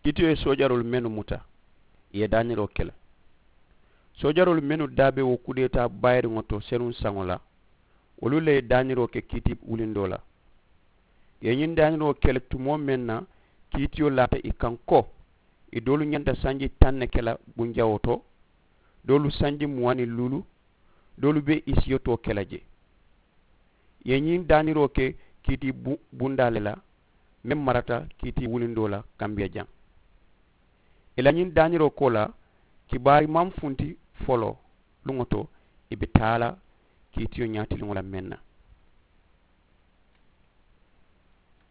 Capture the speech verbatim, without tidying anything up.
Kiitiyo ye soojaroolu mennu muta, ì ye daaniroo ke le. Soojaroolu mennu daa be wo kudeetaa bayiriŋo to senuŋ saŋo la, wolu le ye daaniroo ke kiiti wulindoo la. Ì ye ñiŋ daaniroo ke le tumoo meŋ na, kiitiyo laata ì kaŋ ko ì doolu ñanta sanji taŋ ne ke la bunjawoo to, doolu sanji muwaŋ niŋ luulu, doolu be ì siyotoo ke la jee. Ì ye ñiŋ daaniroo ke kiiti bundaa le la, meŋ marata kiiti wulindoo la kambiyajaŋ. Ì la ñiŋ daaniroo koolaa, kibaari maŋ funti foloo luŋo to ì be taa la kiitiyo ñaatiliŋo la meŋ na.